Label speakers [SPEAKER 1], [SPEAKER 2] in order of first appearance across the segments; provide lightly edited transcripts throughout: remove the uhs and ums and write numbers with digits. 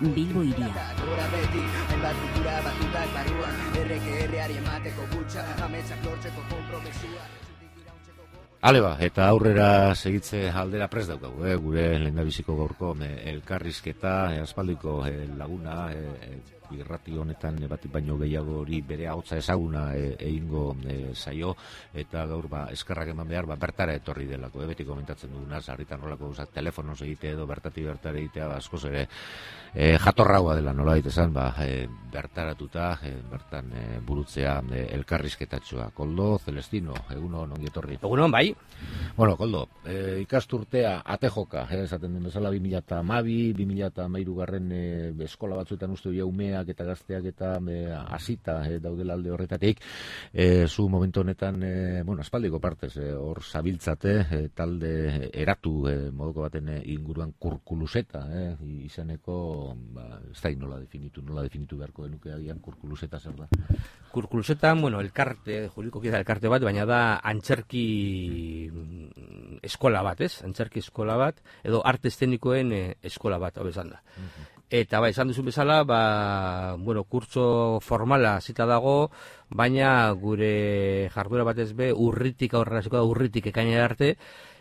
[SPEAKER 1] Bilbo hiria.
[SPEAKER 2] Ale ba, eta aurrera segitze aldera prest daukagu, gure lehendabiziko gaurko elkarrizketa, aspaldiko laguna, irrati honetan batik baino gehiago hori bere ahotsa ezaguna egingo zaio, eta gaur eskerrak eman behar bertara etorri delako, beti komentatzen duguna, sarritan nolako gauzak telefonoz egite edo bertatik bertara egitea, askoz ere jatorragoa dela nola esan, bertaratuta, bertan burutzea elkarrizketatxoa. Koldo, Celestino, egunon ongi etorri.
[SPEAKER 3] Egunon, bai.
[SPEAKER 2] Bueno, Koldo, ikasturtea atejoka, esaten den bezala 2012, 2013 garren eskola batzuetan uste dira umeak eta gazteak eta hasita daudela alde horretatik, zu momentu honetan, aspaldiko partez, hor zabiltzate, talde eratu moduko baten inguruan kurkuluseta, izaneko, ez da nola definitu beharko denuke agian kurkuluseta zer da?
[SPEAKER 3] Kurkuluseta, elkarte, juridikoki da elkarte bat, baina da antzerki eskola bat, ez? Antzerki eskola bat, edo arte eszenikoen eskola bat, hau esan da. Eta esan duzu bezala, kurtso formala zita dago, baina gure jarduera batez be, urritik aurrera, urritik ekainera arte,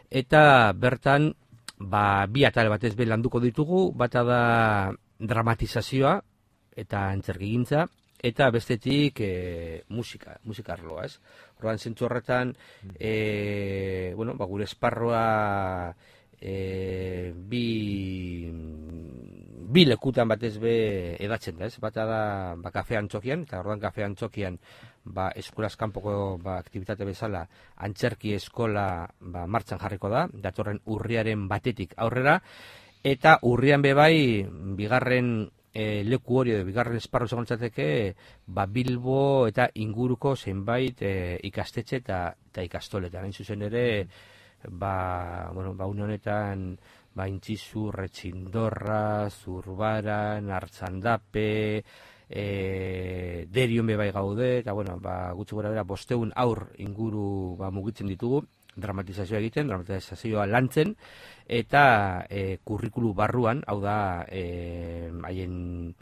[SPEAKER 3] eta bertan, bi atal batez be landuko ditugu, bata da dramatizazioa eta antzerkigintza, eta bestetik musika arloa, ez? Orduan zentzu horretan, gure esparroa bi lekutan batez be edatzen da, ez? Bata da kafe antzokian, eta orduan kafe antzokian eskolaz kanpoko aktibitate bezala antzerki eskola martxan jarriko da, datorren urriaren batetik aurrera, eta urrian bebai bigarren leku hori edo bigarren esparru segontzateke Bilbo eta inguruko zenbait ikastetxe eta ikastoletan. Hain zuzen ere, une honetan Intzizu, Retxindorra, Zurbaran, Artzandape, Derion bebai gaude, eta gutxi gora bera 500 aur inguru mugitzen ditugu, dramatizazioa egiten, dramatizazioa lantzen, eta kurrikulu barruan, hau da, haien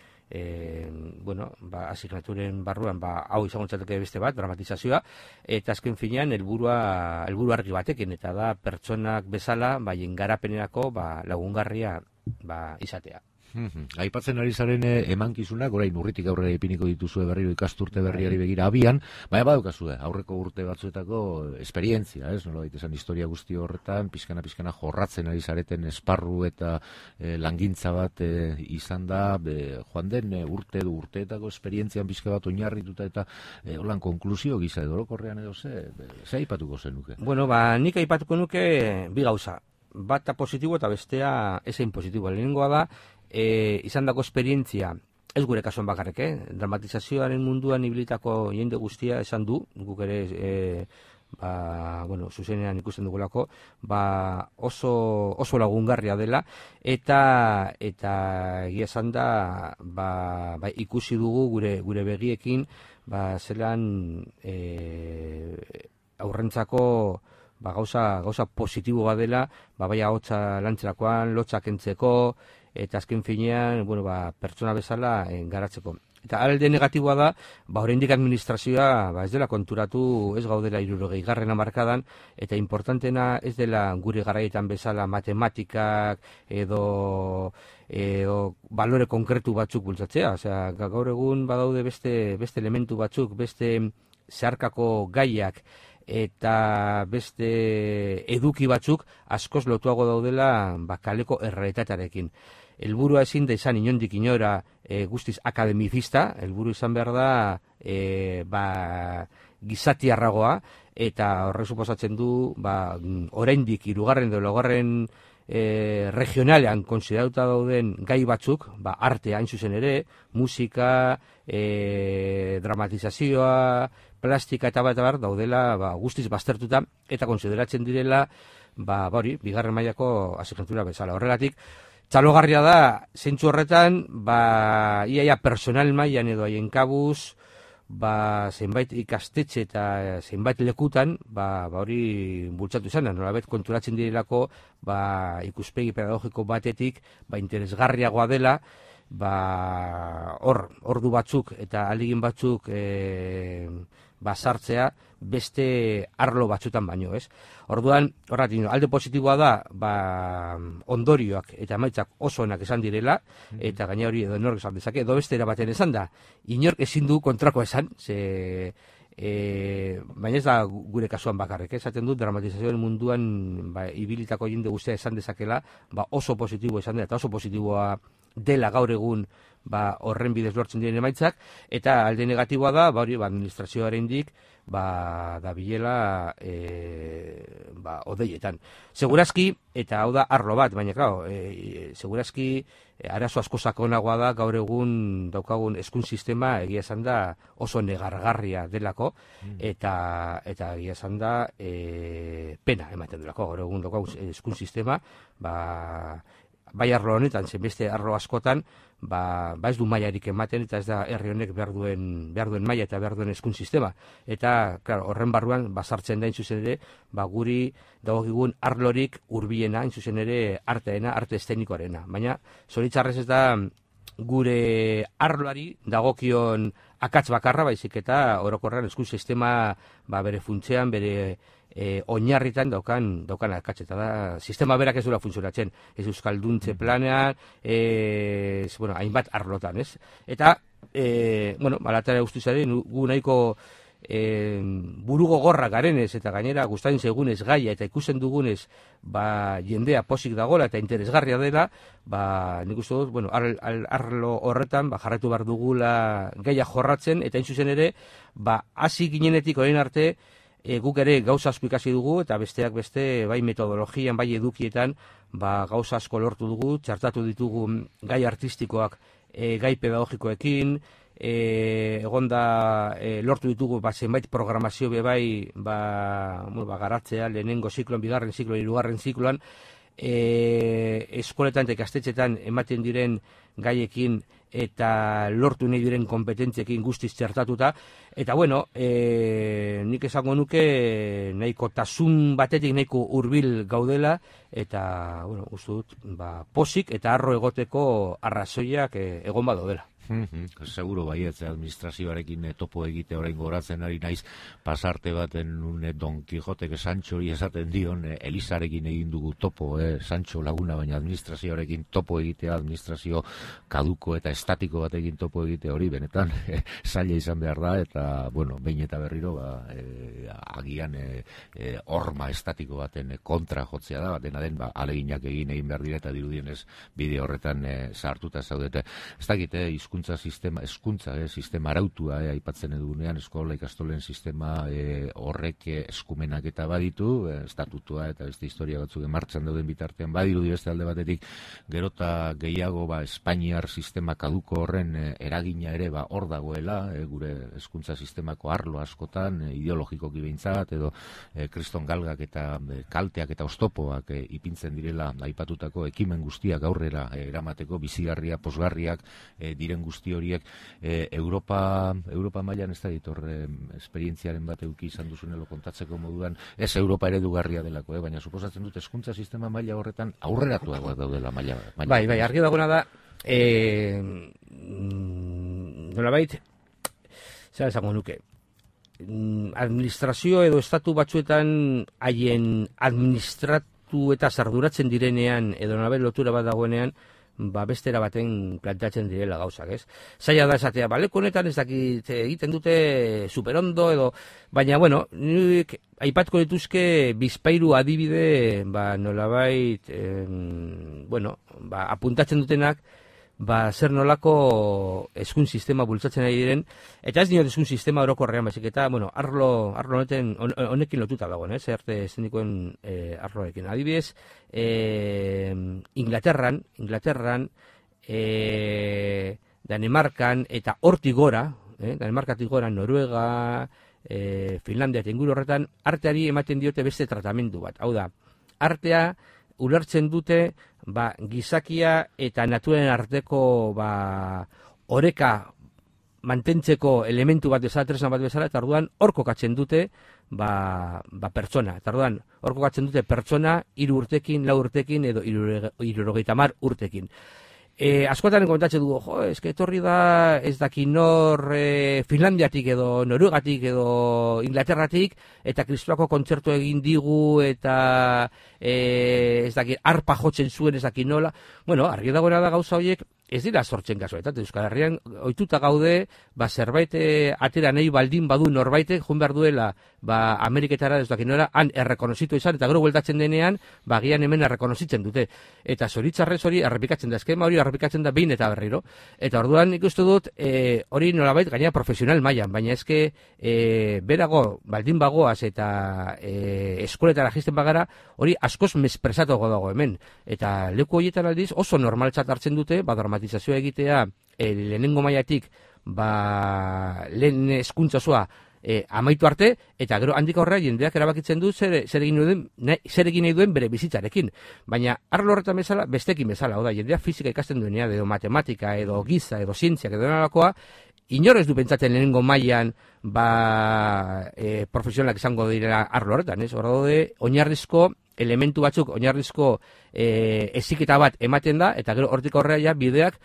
[SPEAKER 3] asignaturen barruan, hau izango txateke beste bat, dramatizazioa, eta azken finean, helburu argi batekin, eta da, pertsonak bezala, haien garapenerako lagungarria izatea.
[SPEAKER 2] Aipatzen ari zaren emankizunak, orain urritik aurrera ipiniko dituzue berriro ikasturte berriari begira abian, baina badaukazue, aurreko urte batzuetako esperientzia, ez? Nola daitezen historia guzti horretan, pixkana jorratzen ari zareten esparru eta langintza bat izan da, joan den urteetako esperientzian pixka bat oinarrituta eta holan konklusio gisa edo orokorrean edo ze aipatuko zenuke?
[SPEAKER 3] Nik aipatuko nuke bi gauza. Bata positibo eta bestea ezein positibo. Lehenengoa da, izan dako esperientzia, ez gure kasuan bakarrik, dramatizazioaren munduan ibilitako jende guztia esan du, guk ere, zuzenean ikusten dugulako, oso lagungarria dela, eta egia esan da, ikusi dugu gure begiekin, zelan aurrentzako gauza positibo badela, bai ahotsa lantzerakoan, lotxak entzeko, eta azken finean, pertsona bezala garatzeko. Eta alde negatiboa da, oraindik administrazioa ez dela konturatu, ez gaudela 60. hamarkadan, eta importantena ez dela gure garaietan bezala matematikak edo balore konkretu batzuk bultzatzea. Osea, gaur egun badaude beste elementu batzuk, beste zeharkako gaiak, eta beste eduki batzuk askoz lotuago daudela kaleko errealitatearekin. Helburua ezin da izan inondik inora guztiz akademizista, helburu izan behar da gizatiarragoa, eta horrek suposatzen du oraindik 3. edo 4. regionalean konsideratuta dauden gai batzuk, arte hain zuzen ere, musika, dramatizazioa, plastika eta bat daudela guztiz baztertuta eta konsideratzen direla bigarren mailako asignatura bezala. Horregatik, txalogarria da, zentzu horretan, iaia personal mailan edo haien kabuz, zenbait ikastetxe eta zenbait lekutan, hori bultzatu izan, nolabet konturatzen direlako, ikuspegi pedagogiko batetik, interesgarriagoa dela, ordu batzuk eta ahalegin batzuk sartzea beste arlo batzutan baino, ez? Orduan, alde positiboa da, ondorioak eta emaitzak oso onak esan direla, eta gaina hori edo nork esan dezake, edo beste erabaten esan da, inork ezin du kontrako esan, baina ez da gure kasuan bakarrik, esaten dut dramatizazioen munduan ibilitako jende guztia esan dezakela, oso positibo esan dela, eta oso positiboa dela gaur egun horren bidez lortzen diren emaitzak, eta alde negatiboa da, administrazioarendik da bilela odeietan. Segurazki, eta hau da arlo bat, baina segurazki arazo asko sakonagoa da gaur egun daukagun hezkuntz sistema egia esan da oso negargarria delako, eta egia esan da pena ematen delako gaur egun daukagun hezkuntz sistema, bai arlo honetan, zen beste arlo askotan, ez du mailarik ematen, eta ez da herri honek behar duen maila eta behar duen hezkuntz sistema. Eta, horren barruan, sartzen da, zuzen ere, guri dagokigun arlorik hurbilena, zuzen ere, arteena, arte eszenikoarena. Baina, zoritxarrez ez da, gure arloari dagokion akats bakarra, baizik eta orokorrean hezkuntz sistema bere funtzean, bere oinarritan daukan akats, eta da, sistema berak ez dura funtzionatzen, ez euskalduntze planean, hainbat arlotan, ez? Eta, malatara guztizaren, gu nahiko burugo gorra garenez, eta gainera gustatzen zaigunez gaia, eta ikusten dugunez, jendea posik dagoela, eta interesgarria dela, nik uste dut, arlo horretan, jarraitu behar dugula gaia jorratzen, eta zuzen ere, hasi ginenetik orain arte, guk ere gauza asko ikasi dugu, eta besteak beste, bai metodologian, bai edukietan, gauza asko lortu dugu, txartatu ditugu gai artistikoak gai pedagogikoekin, egonda lortu ditugu zenbait programazio bai garatzea, lehenengo zikloan, bigarren zikloan, hirugarren zikloan, eskoletan eta ikastetxetan ematen diren gaiekin eta lortu nahi diren kompetentziekin guztiz txertatuta, eta nik esango nuke nahiko tasun batetik nahiko hurbil gaudela, eta uste dut posik eta arro egoteko arrazoiak egon badaudela.
[SPEAKER 2] Seguro baietz, administrazioarekin topo egite orain goratzen ari naiz, pasarte baten Don Quijotek Sanchori esaten dion, Elisarekin egin dugu topo, Sancho laguna, baina administrazioarekin topo egitea, administrazio kaduko eta estatiko batekin topo egite hori, benetan, zaila izan behar da, eta, behin eta berriro, agian horma estatiko baten kontra jotzea da, dena den, aleginak egin behar dira, eta dirudienez bide horretan sartuta zaudete. Ez dakite, sistema arautua aipatzen edugunean, eskola ikastolen sistema horrek eskumenak eta baditu, estatutua eta beste historia batzuk martxan dauden bitartean badirudi beste alde batetik, gerota gehiago Espainiar sistema kaduko horren eragina ere hor dagoela, gure hezkuntza sistemako arlo askotan, ideologikoki behintzat, edo kriston galgak eta kalteak eta oztopoak ipintzen direla aipatutako ekimen guztiak aurrera eramateko, bizigarria, posgarriak diren guzti horiek, Europa mailan ez da ditor esperientziaren bat eduki izan duzunelo kontatzeko moduan, ez Europa eredugarria delako, baina suposatzen dut hezkuntza sistema maila horretan aurreratuagoak daudela maila.
[SPEAKER 3] Bai, argi dagoena da, nolabait, zer esango nuke, administrazio edo estatu batzuetan haien administratu eta sarduratzen direnean, edo nolabait lotura bat dagoenean, bestera baten planteatzen direla gauzak, ez? Zaila da esatea, leku honetan ez dakit egiten dute superondo edo, baina, nik aipatko dituzke bizpairu adibide, nolabait, apuntatzen dutenak, zer nolako hezkuntz sistema bultzatzen ari diren, eta ez diot hezkuntz sistema orokorrean, baizik eta, arlo honekin lotuta dagoen, arte eszenikoen arloekin. Adibidez, Inglaterran, Danimarkan eta hortik gora, Danimarkatik gora, Noruega, Finlandia eta inguru horretan, arteari ematen diote beste tratamendu bat. Hau da, artea ulertzen dute gizakia eta naturen arteko oreka mantentzeko elementu bat bezala, tresna bat bezala, eta orduan hor kokatzen dute pertsona. Eta orduan hor kokatzen dute pertsona 3 urtekin, 4 urtekin edo 70 urtekin. Askotan kontatzen dugu, eske etorri da ez daki nor Finlandiatik edo Noruegatik edo Inglaterratik, eta kristuako kontzertu egin digu, eta ez daki arpa jotzen zuen ez daki nola. Bueno, argi dagoena da gauza horiek, ez dira sortzen kasuetan, Euskal Herrian ohituta gaude, zerbait atera nahi baldin badu norbaitek, joan behar duela, Ameriketara ez daki nola, han errekonozitu izan, eta gero bueltatzen denean, gian hemen errekonozitzen dute. Eta zoritzarrez hori errepikatzen da, eskema hori errepikatzen da behin eta berriro. Eta orduan ikustu dut, hori nolabait gaina profesional mailan, baina eske berago, baldin bagoaz eta eskoletara jisten bagara, hori askoz mespresatuago dago hemen. Eta leku horietan aldiz oso normaltzat hartzen dute, dramatizazioa egitea lehenengo mailatik lehen hezkuntza osoa amaitu arte, eta gero handik aurrera jendeak erabakitzen du zer egin nahi duen bere bizitzarekin. Baina arlo horretan bezala, bestekin bezala, oda, jendeak fizika ikasten duenean, edo matematika, edo giza, edo zientziak, edo nolakoa, inor ez du pentsatzen lehenengo mailan profesionalak izango direla arlo horretan, ez? Hor daude oinarrizko elementu batzuk, oinarrizko heziketa bat ematen da, eta gero hortik aurrera bideak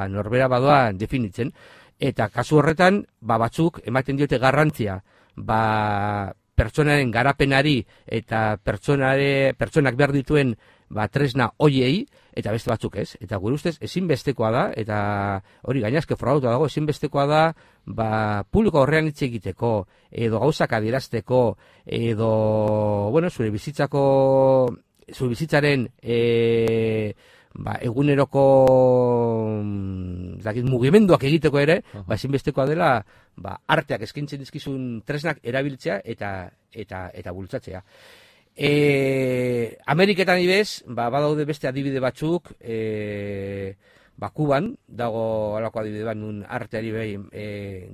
[SPEAKER 3] norbera badoa definitzen. Eta kasu horretan, batzuk ematen diote garrantzia, pertsonaren garapenari eta pertsonak behar dituen tresna hoiei, eta beste batzuk ez. Eta gure ustez ezinbestekoa da, eta hori gainazke frogatuta dago, ezinbestekoa da, publiko horrean hitz egiteko, edo gauzak adierazteko, edo, zure bizitzaren eguneroko mugimenduak egiteko ere, ezinbestekoa dela arteak eskintzen dizkizun tresnak erabiltzea eta bultzatzea. Ameriketan ibez, badaude beste adibide batzuk, Kuban dago alako adibide bat nun arteari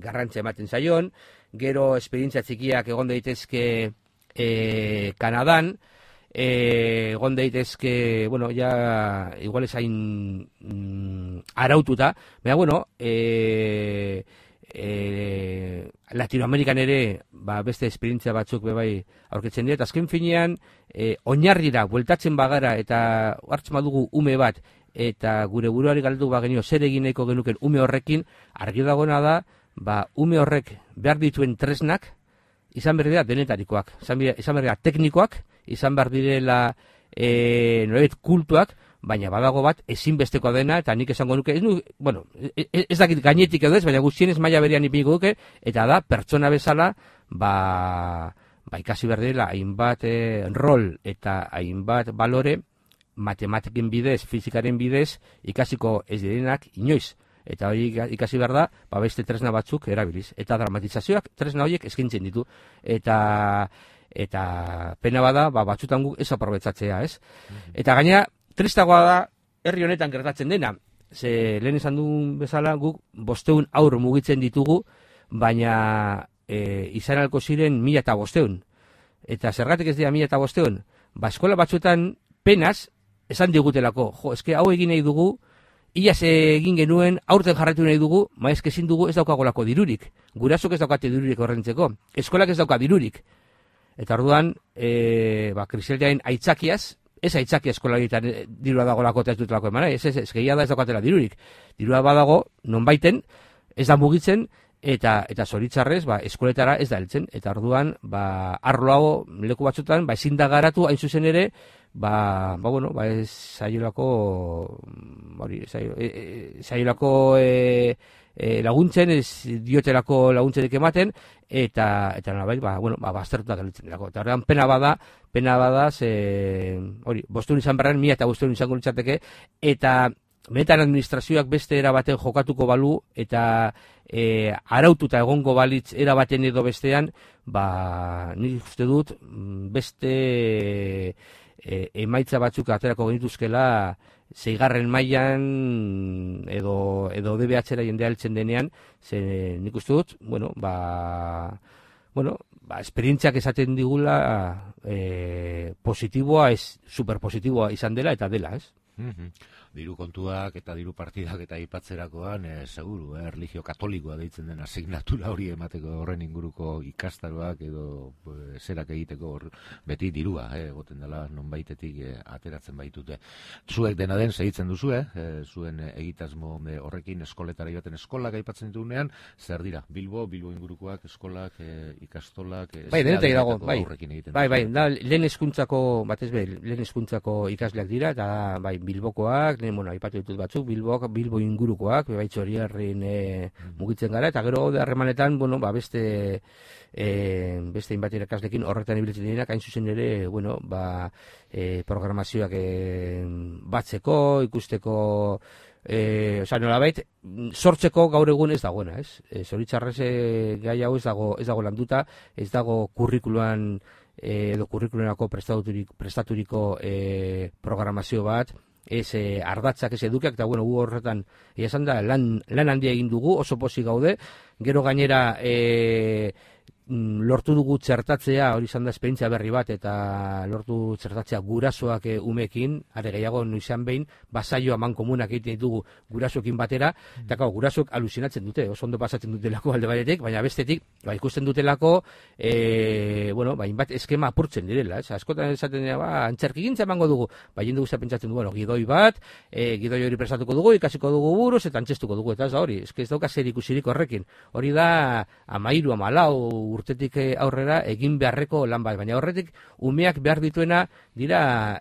[SPEAKER 3] garrantzia ematen zaion, gero esperientzia txikiak egon daitezke Kanadan, egon daitezke, igual esain araututa, baina, Latinoamerikan ere beste esperientzia batzuk aurkitzen dira, eta azken finean oinarrira bueltatzen bagara eta hartzen badugu ume bat, eta gure buruari galdu bagenio zer egin nahiko genuken ume horrekin, argi dagoena da, ume horrek behar dituen tresnak izan behar dira denetarikoak, izan behar dira teknikoak, izan behar direla norbait kultuak, baina badago bat ezinbestekoa dena, eta nik esango nuke, ez dakit gainetik edo ez, baina guztienez maila berean ipiniko duke, eta da pertsona bezala, ikasi behar direla hainbat rol eta hainbat balore, matematiken bidez, fizikaren bidez, ikasiko ez direnak inoiz. Eta hori ikasi behar da, beste tresna batzuk erabiliz. Eta dramatizazioak tresna horiek eskintzen ditu. Eta pena bada, batzutan guk ez aprobetzatzea, ez? Eta gaina, tristagoa da, herri honetan gertatzen dena. Ze lehen esan duen bezala, guk 500 haur mugitzen ditugu, baina izan alko ziren 1500. Eta zergatik ez dira 1500? Eskola batzuetan penaz, esan digutelako, eske hau egin nahi dugu, iaz egin genuen, aurten jarratu nahi dugu, eske ezin dugu ez daukagolako dirurik. Gurasok ez daukate dirurik horrentzeko. Eskolak ez dauka dirurik. Eta orduan, krisialdiaren aitzakiaz, ez aitzakia eskola egiten dirua dagolako eta ez dutelako eman, ez gehia da ez daukatela dirurik. Dirua badago, non baiten, ez da mugitzen, eta zoritzarrez, eskoletara ez da heltzen. Eta orduan, arlo hau leku batzutan, ezin da garatu hain zuzen ere, ez zaiolako laguntzen, ez diotelako laguntzerik ematen, eta nolabait, baztertuta gelditzen delako. Eta horrean pena bada, hori, 500 izan berren, 1500 izango litzateke, eta benetan administrazioak beste erabaten jokatuko balu, eta araututa egongo balitz erabaten edo bestean, nik uste dut, beste emaitza batzuk aterako genituzkela 6. mailan edo DBH-era jendea heltzen denean, nik uste dut, esperientziak esaten digula positiboa, ez superpositiboa izan dela eta dela, ez?
[SPEAKER 2] diru kontuak eta diru partidak eta aipatzerakoan, seguru, erlijio katolikoa deitzen den asignatura hori emateko horren inguruko ikastaroak edo zerak egiteko beti dirua, egoten dela nonbaitetik ateratzen baitute. Zuek dena den segitzen duzu, zuen egitasmo horrekin eskoletara joaten eskolak aipatzen ditugunean, zer dira? Bilbo ingurukoak, eskolak, ikastolak,
[SPEAKER 3] bai, denetik dago, bai, da, lehen hezkuntzako ikasleak dira, eta bai, Bilbokoak, aipatu ditut batzuk, Bilbo ingurukoak, bai, Txorierrin mugitzen gara, eta gero harremanetan, beste inbat irakaslekin horretan ibiltzen direnak, hain zuzen ere, programazioak batzeko, ikusteko, nolabait, sortzeko gaur egun ez dagoena, ez? Zoritxarrez gai hau ez dago landuta, ez dago kurrikuluan edo kurrikulerako prestaturiko programazio bat, ez ardatzak, ez edukiak, eta gu horretan, esan da, lan handia egin dugu, oso pozik gaude, gero gainera lortu dugu txertatzea, hori izan da esperientzia berri bat, eta lortu txertatzea gurasoak umekin, are gehiago noizean behin, basaio aman komunak egiten ditugu gurasoekin batera, eta gurasoek alusinatzen dute, oso ondo pasatzen dutelako alde batetik, baina bestetik, ikusten dutelako, inbat eskema apurtzen direla, askotan esaten dira, antzerkigintza emango dugu, jende guztia pentsatzen du, gidoi bat, gidoi hori prestatuko dugu, ikasiko dugu buruz, eta antzestuko dugu, eta ez da hori, ez dauka zer ikusirik horrekin, hori da 13, 14 urtetik aurrera egin beharreko lan bat, baina horretik umeak behar dituena dira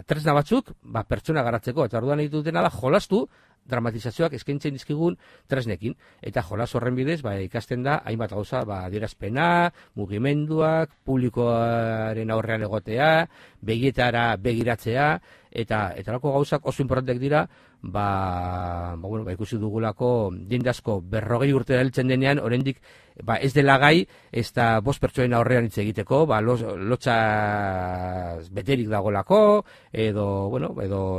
[SPEAKER 3] tresna batzuk pertsona garatzeko, eta orduan egiten dutena da jolastu dramatizazioak eskaintzen dizkigun tresnekin, eta jolas horren bidez ikasten da hainbat gauza, adierazpena, mugimenduak, publikoaren aurrean egotea, begietara begiratzea, eta lako gauzak oso importanteak dira, ikusi dugulako jende asko 40 urte heltzen denean, oraindik ez dela gai, ez da 5 pertsonen aurrean hitz egiteko, lotxa beterik dagolako, edo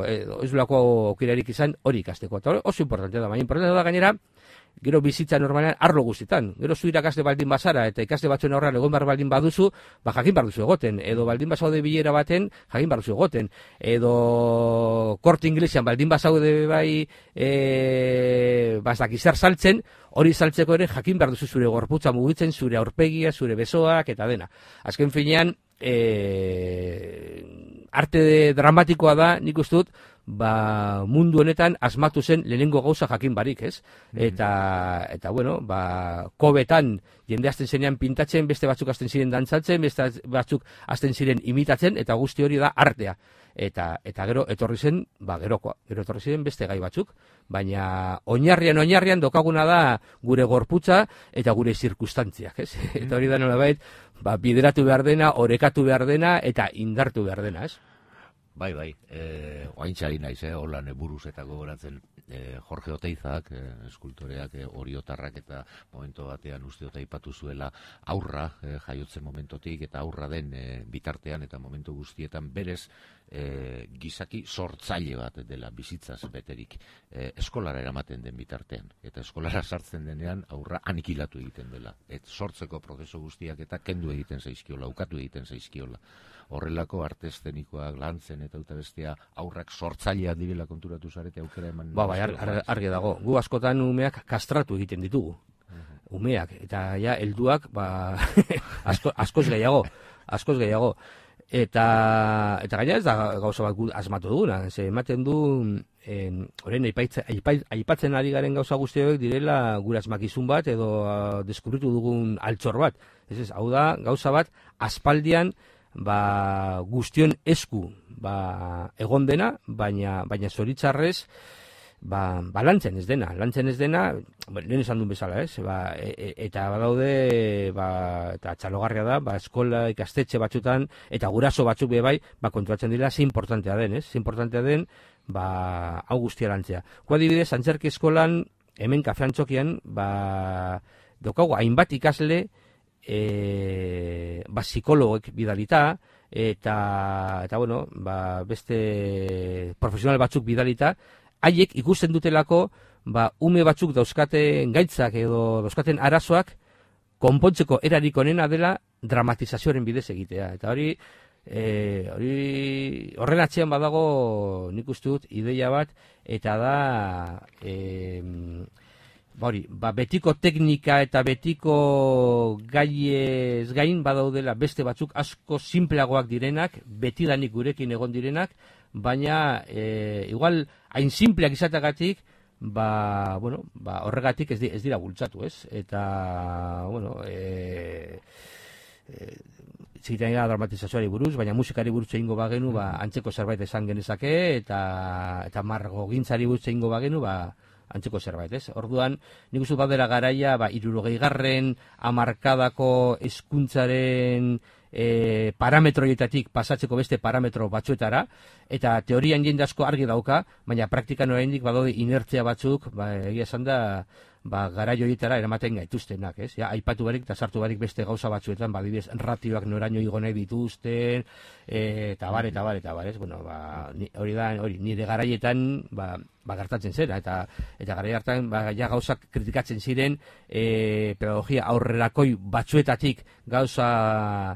[SPEAKER 3] ez dulako aukerarik izan hori ikasteko. Eta oso importantea da, baina importantea da gainera, gero bizitza normalean arlo guztietan. Gero zu irakasle baldin bazara eta ikasle batzuen aurrean egon behar baldin baduzu, jakin behar duzu egoten, edo baldin bazaude bilera baten, jakin behar duzu egoten, edo korte inglesean baldin bazaude zer saltzen, hori saltzeko ere jakin behar duzu zure gorputza mugitzen, zure aurpegia, zure besoak eta dena. Azken finean, arte dramatikoa da, nik uste dut, mundu honetan asmatu zen lehenengo gauza jakin barik, ez? Eta kobetan jende hasten zenean pintatzen, beste batzuk hasten ziren dantzatzen, beste batzuk hasten ziren imitatzen, eta guzti hori da artea. Eta gero etorri zen, gero etorri ziren beste gai batzuk, baina oinarrian dokaguna da gure gorputza eta gure zirkustantziak, ez? Eta hori da nolabait, bideratu behar dena, orekatu behar dena, eta indartu behar dena, ez?
[SPEAKER 2] Bai, oaintxari naiz, holan buruz eta gogoratzen Jorge Oteizak, eskultoreak, oriotarrak eta momento batean usteota aipatu zuela aurra jaiotzen momentotik eta aurra den bitartean eta momentu guztietan berez gizaki sortzaile bat dela bizitzaz beterik eskolara eramaten den bitartean. Eta eskolara sartzen denean aurra anikilatu egiten dela. Sortzeko prozesu guztiak eta kendu egiten zaizkiola, ukatu egiten zaizkiola. Horrelako arte eszenikoak lantzen eta bestea aurrak sortzaileak direla konturatu zarete aukera eman.
[SPEAKER 3] Argi dago. Gu askotan umeak kastratu egiten ditugu. Umeak eta helduak askoz gehiago. Eta gaina ez da gauza bat asmatu duguna. Ematen du orain aipatzen ari garen gauza guztiak direla gure asmakizun bat edo deskubritu dugun altxor bat. Hau da gauza bat aspaldian guztion esku egon dena, baina zoritxarrez lantzen ez dena, lehen esan duen bezala, ez? Eta badaude, eta txalogarria da, eskola ikastetxe batzutan, eta guraso batzuk bai, kontuatzen dira, ze importantea den, ez? Ze importantea den, hau guztia lantzea. Adibidez, antzerki eskolan, hemen kafean txokian, daukagu hainbat ikasle, psikologoek bidalita, eta beste profesional batzuk bidalita, haiek ikusten dutelako, ume batzuk dauzkaten gaitzak edo dauzkaten arazoak konpontzeko erarik onena dela dramatizazioaren bidez egitea. Eta hori, horren atzean badago nik uste dut ideia bat, eta da betiko teknika eta betiko gaiez gain badaudela beste batzuk asko simpleagoak direnak, betidanik gurekin egon direnak, baina igual hain simpleak izatagatik, horregatik ez dira bultzatu, ez? Eta, zitean gara dramatizazioari buruz, baina musikari buruz egingo bagenu, antzeko zerbait esan genezake, eta margogintzari buruz egingo bagenu, antzeko zerbait, ez? Orduan, nik uste badera garaia, 60. hamarkadako hezkuntzaren parametroietatik pasatzeko beste parametro batzuetara, eta teorian jende asko argi dauka, baina praktikan oraindik badaude inertzia batzuk, egia esan da, garai horietara eramaten gaituztenak, ez? Aipatu barik eta sartu barik beste gauza batzuetan, adibidez, ratioak noraino igo nahi dituzten, eta bar, ez? Hori da, nire garaietan, gertatzen zera, eta garai hartan, gauzak kritikatzen ziren, pedagogia aurrerakoi batzuetatik gauza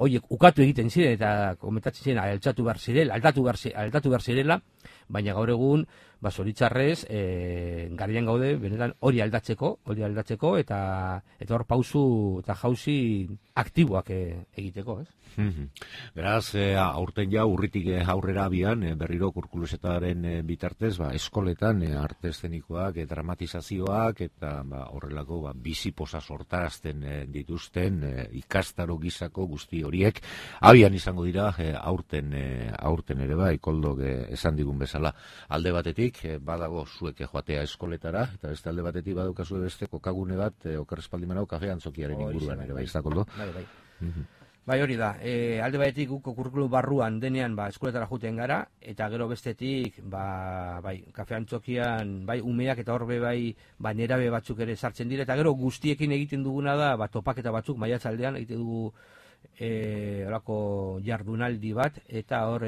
[SPEAKER 3] horiek ukatu egiten ziren, eta komentatzen ziren, aldatu behar zirela, baina gaur egun, zoritxarrez, garaian gaude, benetan hori aldatzeko, eta hor pausu eta jauzi aktiboak egiteko, ez?
[SPEAKER 2] Beraz, aurten ja urritik aurrera abian, berriro kurkulusetaren bitartez, eskoletan arte eszenikoak, dramatizazioak, eta horrelako biziposa sortarazten dituzten ikastaro gizako guzti horiek, abian izango dira aurten ere Koldok esan digun bezala. Alde batetik, badago zuek joatea eskoletara, eta beste alde batetik badukazue beste kokagune bat, okerrespaldi manau kafean zokiaren inguruan ere, bai, ez da, Koldo?
[SPEAKER 3] Bai, hori da. Alde batetik guko kurrikulum barruan denean eskoletara joaten gara, eta gero bestetik kafean txokian umeak eta horbe nerabe batzuk ere sartzen dira, eta gero guztiekin egiten duguna da topaketa batzuk maiatzaldean egiten dugu horako jardunaldi bat, eta hor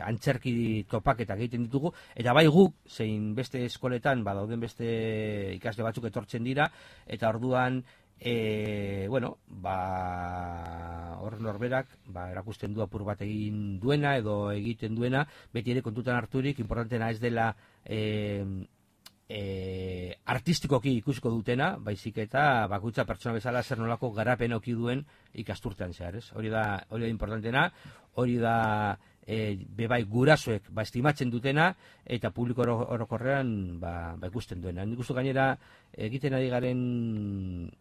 [SPEAKER 3] antzerki topaketak egiten ditugu, eta guk, zein beste eskoletan dauden beste ikasle batzuk etortzen dira, eta orduan hor norberak erakusten du apur bat egin duena edo egiten duena, beti ere kontutan harturik, importantena ez dela artistikoki ikusiko dutena, baizik eta bakoitza pertsona bezala zer nolako garapen auki duen ikasturtean zehar, ez? Hori da importantena, hori da gurasoek estimatzen dutena, eta publiko orokorrean ikusten duena. Nik uste gainera egiten ari garen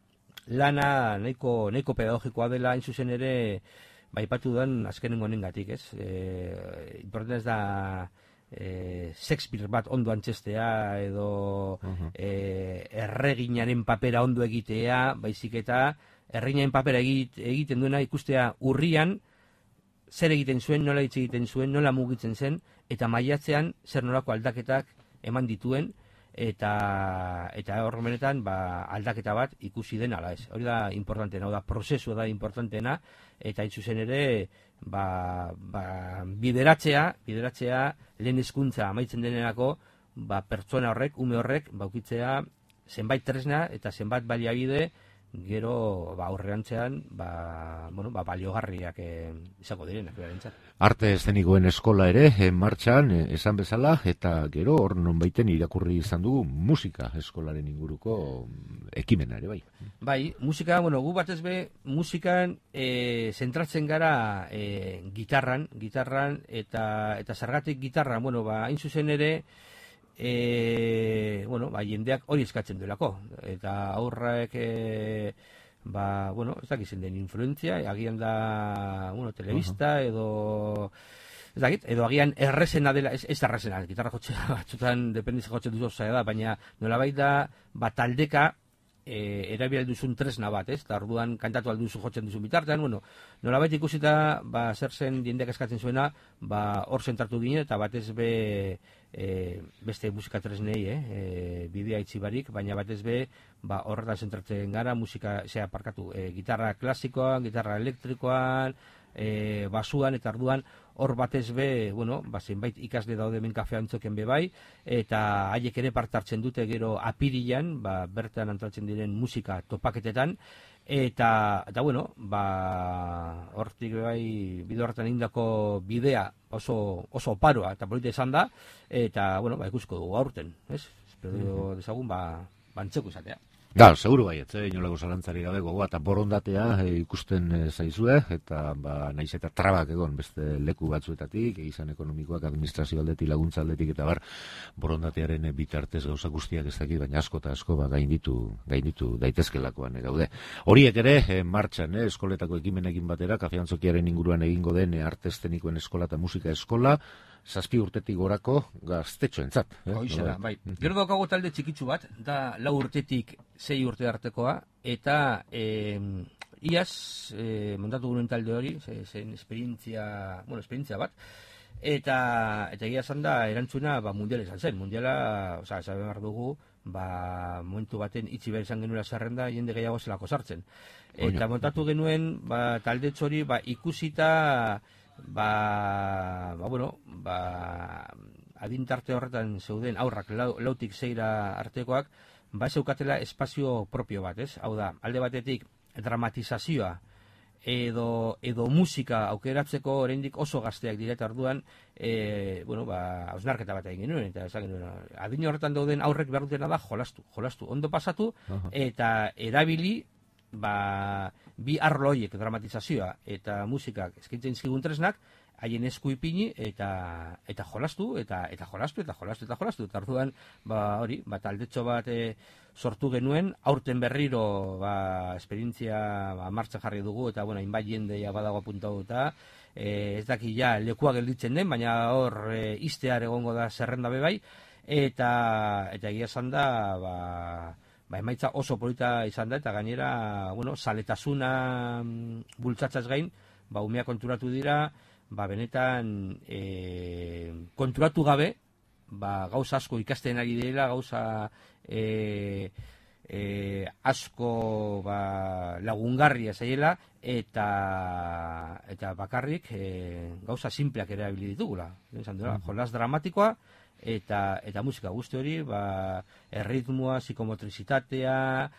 [SPEAKER 3] lana nahiko pedagogikoa dela, hain zuzen ere aipatu duan azkenengo honengatik, ez? Importantena ez da Shakespeare bat ondo antzestea edo erreginaren papera ondo egitea, baizik eta erreginaren papera egiten duena ikustea urrian zer egiten zuen, nola hitz egiten zuen, nola mugitzen zen, eta maiatzean zer nolako aldaketak eman dituen, eta hor benetan aldaketa bat ikusi den ala ez. Hori da importantena, da prozesua da importantena, eta hain zuzen ere bideratzea lehen hezkuntza amaitzen denerako pertsona horrek, ume horrek ukitzea zenbait tresna eta zenbait baliabide gero aurrerantzean baliogarriak izango direnak berentzat.
[SPEAKER 2] Arte eszenikoen eskola ere martxan esan bezala, eta gero hor nonbaiten irakurri izan dugu musika eskolaren inguruko ekimena ere bai.
[SPEAKER 3] Bai, musika, gu batez be musikan zentratzen gara gitarran eta zergatik gitarran, hain zuzen ere jendeak hori eskatzen duelako, eta aurrak ez dakizen den influentzia, agian da telebista edo edo agian errezena dela, ez errezena, gitarra jotzea batzutan dependiz jotzen duzu zaila da, baina nolabait da taldeka erabil duzun tresna bat, ez? Eta orduan kantatu alduzu jotzen duzun bitartean, nolabait ikusita zer zen jendeak eskatzen zuena, hor zentratu ginen, eta batez beste musika tresnei, bidea itzi barik, baina batez horretan zentratzen gara, gitarra klasikoan, gitarra elektrikoan, basuan, eta orduan hor batez be, bueno, zenbait ikasle daude hemen Kafe Antzokian be bai, eta haiek ere parte hartzen dute gero apirilan, bertan antolatzen diren musika topaketetan, eta bueno, hortik bai bide horretan indako bidea oso oparoa eta polita izan da, eta bueno, ikusko dugu aurten, ez? Espero dezagun antzeko izatea.
[SPEAKER 2] Seguru baiet, inolako zalantzari gabe gogoa eta borondatea ikusten zaizue, eta naiz eta trabak egon beste leku batzuetatik, izan ekonomikoak, administrazio aldetik, laguntza aldetik, eta borondatearen bitartez gauza guztiak ez dakit, baina asko eta asko gainditu daitezkelakoan gaude. Horiek ere, martxan, eskoletako ekimenekin batera, Kafe Antzokiaren inguruan egingo den arte eszenikoen eskola eta musika eskola, 7 urtetik gorako gaztetxoentzat.
[SPEAKER 3] Hoixera, bai. Gero daukago talde txikitsu bat, da 4 urtetik 6 urte artekoa, eta iaz montatu gure talde hori, zen esperientzia bat, eta egia esan da erantzuna mundiala izan zen. Mundiala, esan behar dugu, momentu baten itxi behar izan genuela zerrenda, jende gehiago zelako sartzen. Eta montatu genuen talde txori ikusita adintarte horretan zeuden aurrak lautik 6 artekoak, zeukatela espazio propio bat, ez? Hau da, alde batetik dramatizazioa edo musika aukeratzeko oraindik oso gazteak dira, eta orduan hausnarketa bat egin genuen, eta esan genuen, adin horretan dauden aurrek behar dutena da jolastu, ondo pasatu, eta erabili bi arlo horiek, dramatizazioa eta musikak eskaintzen zizkigun tresnak, haien esku ipini eta jolastu, eta orduan taldetxo bat sortu genuen, aurten berriro esperientzia martxan jarri dugu, eta hainbat jende badago apuntatuta, ez daki lekua gelditzen den, baina hor iztear egongo da zerrenda bebai, eta egia esan da emaitza oso polita izan da, eta gainera, zaletasuna bultzatzaz gain, umea konturatu dira, benetan konturatu gabe, gauza asko ikasten ari direla, gauza asko lagungarria zaiela, eta bakarrik gauza simpleak erabili ditugula. Jolas dramatikoa, eta musika guzti hori, erritmoa, psikomotrizitatea,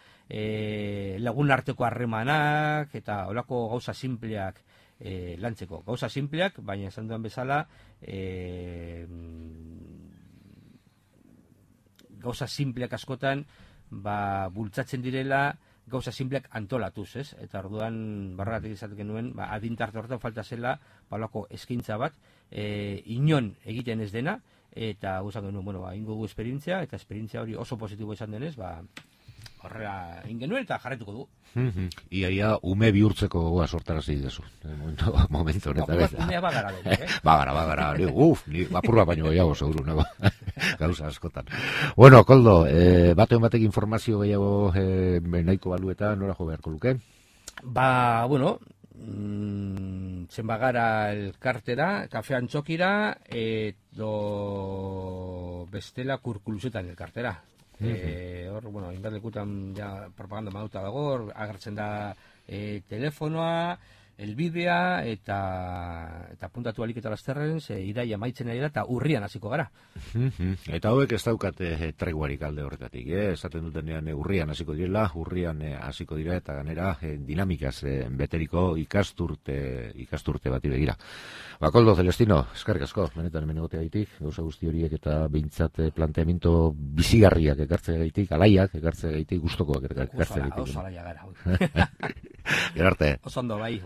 [SPEAKER 3] lagun arteko harremanak, eta holako gauza simpleak lantzeko. Gauza simpleak, baina esan duen bezala, gauza simpleak askotan, bultzatzen direla, gauza simpleak antolatuz, ez? Eta orduan, barragatik izatek genuen, adintarte horretan falta zela, holako eskaintza bat, inon egiten ez dena, eta guzak genuen, ingo gu esperientzia, eta esperientzia hori oso positibo izan denez, horrela ingenuen eta jarretuko du.
[SPEAKER 2] Iaia ume bihurtzeko gogoa sortarazi dezu. Momentu honetan.
[SPEAKER 3] Umea bagara.
[SPEAKER 2] Bagara. Ni apurra baino gehiago seguru nago. Gauza askotan. Bueno, Koldo, batek informazio gehiago nahiko balueta nora jo beharko luke?
[SPEAKER 3] Zen bagara elkartera, Kafe Antzokira, edo bestela Kurkuluzetan elkartera. Hor, hainbat lekutan propaganda maduta dago, agertzen da telefonoa, elbidea, eta puntatu alik eta lasterren, iraia maitzen ari da, eta urrian hasiko gara.
[SPEAKER 2] Eta hauek ez daukate treguarik alde horretatik, esaten dutenean urrian hasiko direla, hasiko dira, eta ganera dinamikaz beteriko ikasturte bati begira. Koldo, Celestino, eskerrik asko, benetan hemen egotea gaitik, gauza guzti horiek eta behintzat planteamiento bizigarriak ekartze gaitik, alaiak ekartze gaitik, gustokoak ekartze gaitik.
[SPEAKER 3] Oso alaia gara.
[SPEAKER 2] Gerarte.
[SPEAKER 3] Oso ondo bai,